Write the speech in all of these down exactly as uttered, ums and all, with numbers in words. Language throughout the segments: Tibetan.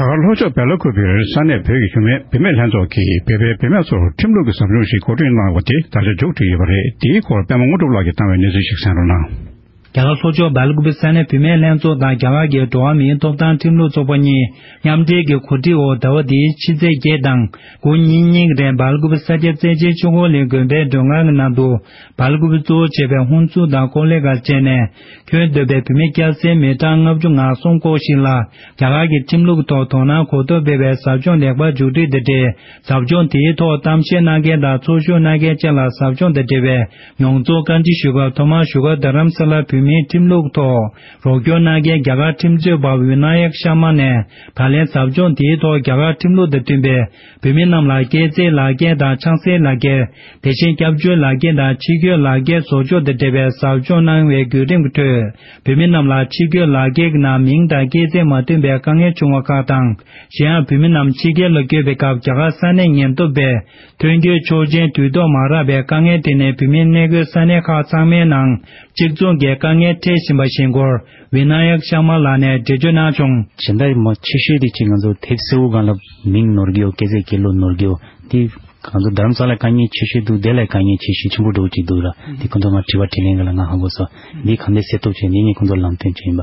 རྒྱ་གར་ལྷོ་ཕྱོགས་སྦེལ་ཀོབ་བིར་ས་གནས་བོད་ཀྱི་བུད་མེད་བུད་མེད་ལྷན་ཚོགས་ཀྱིས་བོད་པའི་བུད་མེད་ཚོར་ཁྲིམས་ལུགས་ཀྱི་ཟབ་སྦྱོང་ཞིག་གོ་སྒྲིག་གནང་བ་དེ་ད་ཆ་མཇུག་བསྒྲིལ་ཡོད་པ་རེད། དེའི་སྐོར་པད་མ་དངོས་གྲུབ་ལགས་ཀྱིས་བཏང་བའི་གནས་ཚུལ་ཞིག་གསན་རོགས་གནང་། རྒྱ་གར་ལྷོ་ཕྱོགས་སྦེལ་ཀོབ་ས་གནས་བུད་མེད་ལྷན་ཚོགས་དང་རྒྱ་གར་གྱི་འགྲོ་བ་མིའི་ཐོབ་ཐང་ཁྲིམས་ལུགས་ཚོགས་པ་གཉིས་མཉམ་འབྲེལ་གྱི་གོ་སྒྲིག་འོག་ཟླ་བ་འདིའི་ཕྱི་ཚེས་བརྒྱད་དང་དགུ་གཉིས་གཉིས་རིང་སྦེལ་ཀོབ་ས་སྐྱ་རྩེ་ཆེན་ཆོས་འཁོར་གླིང་དགོན་པའི་མགྲོན་ཁང་གི་ནང་དུ་སྦེལ་ཀོབ་གཙོ་བོར་བྱས་པའི་ཧུན་སུར་དང་ཀོ་ལི་གྷལ་བཅས་ནས་ཁྱོན་བསྡོམས་པའི་བུད་མེད་སྐྱ་སེར་མི་གྲངས་ལྔ་བཅུ་ང་གསུམ་སྐོར་ཞིག་ལ་རྒྱ་གར་གྱི་ཁྲིམས་ལུགས་ཐོག་དོ་སྣང་གོ་རྟོགས་སྤེལ་བའི་ཟབ་སྦྱོང་ལེགས་པར་མཇུག་སྒྲིལ་དང་འབྲེལ། ཟབ་སྦྱོང་དེའི་ཐོག་གཏམ་བཤད་གནང་མཁན་དང་ཚོགས་ཞུགས་གནང་མཁན་བཅས་ལ་ཟབ་སྦྱོང་དང་འབྲེལ་བའི་མྱོང་ཚོར་བཀའ་འདྲི་ཞུ་སྐབས། ཐོག་མར་བཞུགས་སྒར་རྡ་རམ་ས་ལར་བོད་མིའི་ཁྲིམས་ལུགས་ཐོག་རོགས་སྐྱོར་གནང་མཁན་རྒྱ་གར་ཁྲིམས་རྩོད་པ་ཝི་ན་ཡག་ཤར་མ་ནས་ད་ལན་ཟབ་སྦྱོང་དེའི་ཐོག་རྒྱ་གར་ཁྲིམས་ལུགས་དང་མཐུན་པའི་བོད་མི་རྣམས་ལ་སྐྱེས་ཚེས་ལག་འཁྱེར་དང་ཆང་སའི་ལག་འཁྱེར། དེ་བཞིན་སྐྱབས་བཅོལ་ལག་འཁྱེར་དང་ཕྱི་སྐྱོད་ལག་འཁྱེར་བཟོ་ཕྱོགས་དང་འབྲེལ་བའི་ཟབ་སྦྱོང་གནང་བའི་བརྒྱུད་རིམ་གྱི་ཁྲོད། བོད་མི་རྣམས་ལ་ཕྱི་སྐྱོད་ལག་འཁྱེར་གྱི་ནང་མིང་དང་སྐྱེས་ཚེས་མ་མཐུན་པའི་དཀའ་ངལ་བྱུང་བ་ཁག་དང་། གཞན་ཡང་བོད་མི་རྣམས་ཕྱི་རྒྱལ་ལ་བསྐྱོད་པའི་སྐབས་རྒྱ་གར་ས་གནས་ཉེན་རྟོག་པས་ཐོན་སྐྱོད་ཆོག་མཆན་དུས་ཐོག་མ་རག་པའི་དཀའ་ངལ་དེ་ནི་བོད་མི་གནས་འཁོད་ས་གནས་ཁག་ཚང་མའི་ནང་གཅིག་མཚུངས་ཀྱི་དཀའ་ངལ་འཕྲད་བཞིན་པ་ཞིག་སྐོར་ཝི་ན་ཡག་ཤར་མ་ལགས་ནས་འགྲེལ་བརྗོད་གནང་བྱུང་། སྦྱིན་བདག་མ་ཆེ་ཤོས་དེ་གཅིག་ང་ཚོ་དེབ་གསལ་བོ་སྒང་ལ་མིང་ནོར་གི་ཡོད། སྐྱེས་ཚེས་སྐྱེས་ལོ་ནོར་གི་ཡོད། དེ་ང་ཚོ་རྡ་རམ་ས་ལ་དཀའ་ངལ་ཆེ་ཤོས་འདུག་དེ་ལས་དཀའ་ངལ་ཆེ་ཤོས་ཆེན་པོ་འགྲོ་གི་འདུག་ལ། དེ་ཁོང་ཚོ་ང་དྲི་བ་དྲིས་ལན་ག་ལ་ང་ཧ་གོ་སོང་། འདི་གང་འདྲ་སེལ་ཐུབ་བྱས་འདི་ངས་ཁོང་ཚོར་ལམ་སྟོན་བྱས་ཡིན་པ།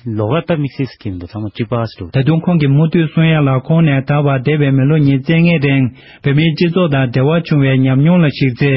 ལོགས་ཀ་སྟབས་མི་སྲིད་ཟེར་གྱི་མི་འདུག་ཚང་མ་གཅིག་པ་ཟེར་འདུག་ད་དུང་ཁོང་གིས་མུ་མཐུད་གསུང་ཡ་ལ། ཁོང་ནས་ད་བར་འདས་པའི་མི་ལོ་ཉེར་བརྒྱད་རིང་བོད་མིའི་སྤྱི་ཚོགས་དང་འབྲེལ་བ་བྱུང་བའི་ཉམས་མྱོང་ལ་གཞིགས་ཚེ།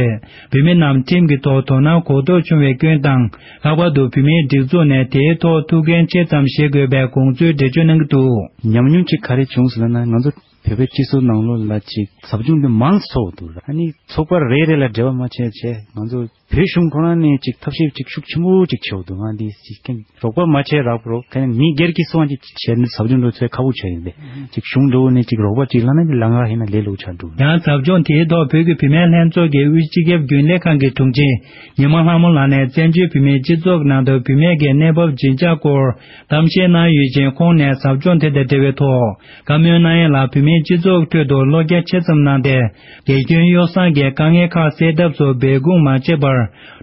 བོད་མི་རྣམས་ཁྲིམས་ཀྱི་ཐོག་དོ་སྣང་གོ་རྟོགས་བྱུང་བའི་སྐྱོན་དང་། ལྷག་པར་དུ་བོད་མིའི་སྒྲིག་འཛུགས་ནས་དེའི་ཐོག་ཐུགས་འགན་ཆེ་ཙམ་བཞེས་དགོས་པའི་དགོངས་ཚུལ་འགྲེལ་བརྗོད་གནང་གི་འདུག་ཉམས་མྱོང་གཅིག་ག་རེ་བྱུང་ཟེར་ན། ང་ཚོ་བོད་པའི་སྤྱི་ཚོགས་ནང་ལོགས་ལ་ཅིག་ཟབ་སྦྱོང་འདི་མང་ཙམ་ཚོགས་འདུག་ཨ་ནི་ཚོགས་པ་རེ་རེ་ལ་འབྲེལ་བ་མ་བྱས་བྱས། ང་ཚོ་བོད་གཞུང་ཁོ་རང་ནས་ཅིག་ཐབས་ཤེས་ཅིག་ཤུགས་ཆེན་པོ་ཅིག་བྱས་འདུག་ང་འདི་ཅིག་རོགས་པ་མ་བྱས་རག་པ་རོགས་ཁ་ནས་མི་སྒེར་གྱི་སོང་ཅིག་བྱས་ནས་ཟབ་སྦྱོང་འགྲོ་ཚོད་ཁག་པོ་ཆགས་ཡིན་པས། ཅིག་གཞུང་འགྲོ་ནས་ཅིག་རོགས་པ་ཅིག་ལ་ན་ལང་ག་ཧེ་ན་ལས་ལོ་ཆགས་འགྲོ། ཡང་ཟབ་སྦྱོང་དེའི་ཐོག་བོད་ཀྱི་བུད་མེད་ལྷན་ཚོགས་ཀྱི་དབུས་སྤྱི་ཁྱབ་རྒྱུན་ལས་ཁང་གི་དྲུང་ཆེ་ཉི་མ་ལྷ་མོ་ལགས་ནས་བཙན་བྱོལ་བོད་མིའི་སྤྱི་ཚོགས་ནང་དུ་བུད་མེད་ཀྱི་གནས་བབ་ཇི་འཇགས་སྐོར་གཏམ་བཤད་གནང་ཡོད་ཅིང་། ཁོང་ནས་ཟབ་སྦྱོང་དེ་དང་འབྲེལ་བའི་ཐོག་བཀའ་མོལ་གནང་ཡས་ལ་བོད་མིའི་སྤྱི་ཚོགས་ཁྲོད་དུ་བློ་རྒྱ་ཆེ་ཙམ་གནང་སྟེ། དགེ་སྐྱོན་ཡོ་བསྲང་གི་དཀའ་ངལ་ཁག་སེལ་ཐབས་སུ་འབད་འབུངས་མ་བྱས་པར་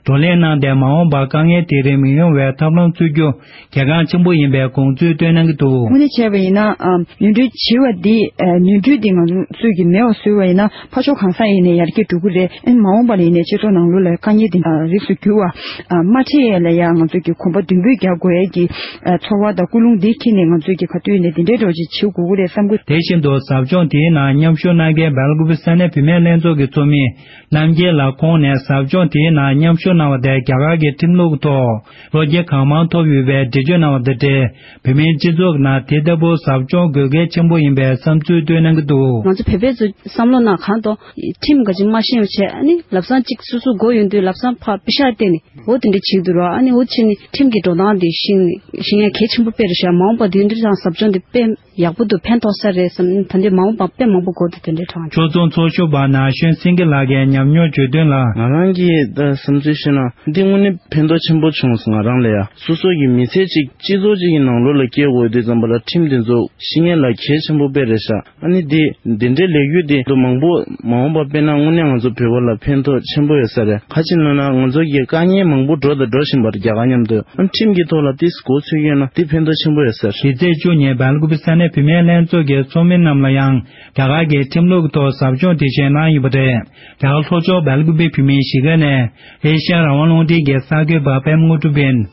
བགྲོ་གླེང་གནང་སྟེ། མ་འོངས་པར་དཀའ་ངལ་དེ་རིགས་མི་ཡོང་བའི་ཐབས་ལམ་འཚོལ་རྒྱུ་གལ་འགངས་ཆེན་པོ་ཡིན་པའི་དགོངས་ཚུལ་བཏོན་གནང་གི་འདུག་དངོས་གནས་བྱས་པ་ཡིན་ན། ཨ་ནོར་འཁྲུལ་བྱེད་པ་འདི། ཨ་ནོར་འཁྲུལ་འདི་ང་ཚོ་ཚོས་ཀྱི་མེད་པ་བཟོས་པ་ཡིན་ན། ཕར་ཕྱོགས་གང་ས་ཡིན་ནའི་ཡར་རྒྱས་འགྲོ་གི་རེད། ཨ་ནི་མ་འོངས་པ་ལ་ཡིན་ནའི་སྤྱི་ཚོགས་ནང་ལོགས་ལ་དཀའ་ངལ་འདི་རིགས་སུ་གྱུར་བ། ཨ་མ་འཕྲད་ཡས་ལ་ཡང་ང་ཚོས་ཀྱི་གོམ་པ་མདུན་སྤོས་རྒྱག་དགོས་ཡས་ཀྱི་ཨ་ཚོར་བ་དང་ཀུན་སློང་འདི་འཁྱེར་ནས། ང་ཚོས་ཀྱི་ག་དུས་ཡིན་ནའི་འདི་འདྲའི་འགྲོ་ཅིག་བྱེད་དགོས་ཀྱི་རེད་བསམ་གི། དེ་བཞིན་དུ་ཟབ་སྦྱོང་དེའི་ནང་མཉམ་ཞུགས་གནང་མཁན་སྦེལ་ཀོབ་ས་གནས་བུད་མེད་ལྷན་ཚོགས་ཀྱི་ཚོགས་མི་རྣམ་རྒྱལ་ལགས་ཁོང་ནས་ཟབ་སྦྱོང་དེའི་ནང་མཉམ་ཞུགས་གནང་བ་དེ་རྒྱ་གར་གྱི་ཁྲིམས་ལུགས་ཐོག་བློ་སྐྱེད་གང་མང་ཐོབ་ཡོད་པའི་འགྲེལ་བརྗོད་གནང་བ་དང་འབྲེལ། བོད་མིའི་སྤྱི་ཚོགས་ནང་དེ་ལྟ་བུ་ཟབ་སྦྱོང་དགོས་གལ་ཆེན་པོ་ཡིན་པའི་བསམ་ཚུལ་བཏོན་གནང་གི་འདུག་ང་ཚོ་བོད་པའི་ཚོ་བསམ་བློ་ནང་གང་དང་ཁྲིམས་ག་ཅིག་མ་ཤེས་པ་བྱས། ཨ་ནི་ལབ་སང་གཅིག་སོ་སོ་མགོ་ཡོང་དུས་ལབ་སང་ཕར་པི་ཤ་བལྟས་ནས་འོ་དེ་འདྲ་བྱེད་ཀྱི་འདུག་ར། ཨ་ནི་འོ་བྱས་ནས་ཁྲིམས་ཀྱི་འགྲོ་སྟངས་དེ་ཤེས་ཤེས་ཡ་གལ་ཆེན་པོ་དཔེ་རེད་ཤག་མ་འོངས་པ་དེ་འདྲ་དང་ཟབ་སྦྱོང་དེ་དཔེ་ཡག་པོ་འདུག་ཕན་ཐོགས་ས་རེད་བསམ། ད་འདི་མ་འོངས་པ་དཔེ་མང་པོ་དགོས་འདུག་དེ་འདྲའི་གྲངས་ཀྱི། ཕྱོགས་མཚུངས་ཚོགས་ཞུགས་པ་ན་གཞོན་སེང་གེ་ལགས་ཀྱིས་ཉམས་མྱོང་བརྗོད་དོན་ལ། ང་རང་གིས་ད་བསམ་ཚུལ་བཤད་ན། འདི་དངོས་གནས་ཕན་ཐོགས་ཆེན་པོ་བྱུང་སོང་ང་རང་ལ་ཡ། སོ་སོ་གི་མི་ཚེ་གཅིག་སྤྱི་ཚོགས་གཅིག་གི་ནང་ལོགས་ལ་སྐྱེལ་དགོས་དུས་ཙམ་པ་ལ་ཁྲིམས་དེ་ཚོ་ཤེས་ཡ་ལ་གལ་ཆེན་པོ་དཔེ་རེད་ཤག་ཨ་ནི་འདི་འདི་འདྲའི་ལས་འགུལ་འདི་ཚོ་མང་པོ་མ་འོངས་པ་དཔེར་ན་དངོས་གནས་ང་ཚོ་བོད་པ་ལ་ཕན་ཐོགས་ཆེན་པོ་ཡོད་ས་རེད། ག་ཅི་ལབ་ན་ང་ཚོ་གི་དཀའ་ངལ་མང་པོ་འགྲོ་དང་འགྲོ་བཞིན་པ་རེད་རྒྱ་གར་མཉམ་དུ། ཨ་ཁྲིམས་ཀྱི་ཐོག་ལ་ཏིས་གོ་ཚོད་ཡོད་ན་ཏི་ཕན་ཐོགས་ཆེན་པོ་ཡོད་ཟེར། ཕྱི་ཚེས་བཅུ་ཉིན་སྦེལ་ཀོབ་ས་གནས་བུད་མེད་ལྷན་ཚོགས་ཀྱི་ཚོགས་མི་རྣམས་ལ་ཡང་རྒྱ་གར་གྱི་ཁྲིམས་ལུགས་ཐོག་ཟབ་སྦྱོང་དེ་བཞིན་གནང་ཡོད་པ་རེད། རྒྱ་གར་ལྷོ་ཕྱོགས་སྦེལ་ཀོབ་བོད་མིའི་གཞིས་ཀ་ནས་ཨེ་ཤ་ཡ་རང་དབང་རླུང་འཕྲིན་གྱི་གསར་འགོད་པ་པད་མ་དངོས་གྲུབ་ཡིན།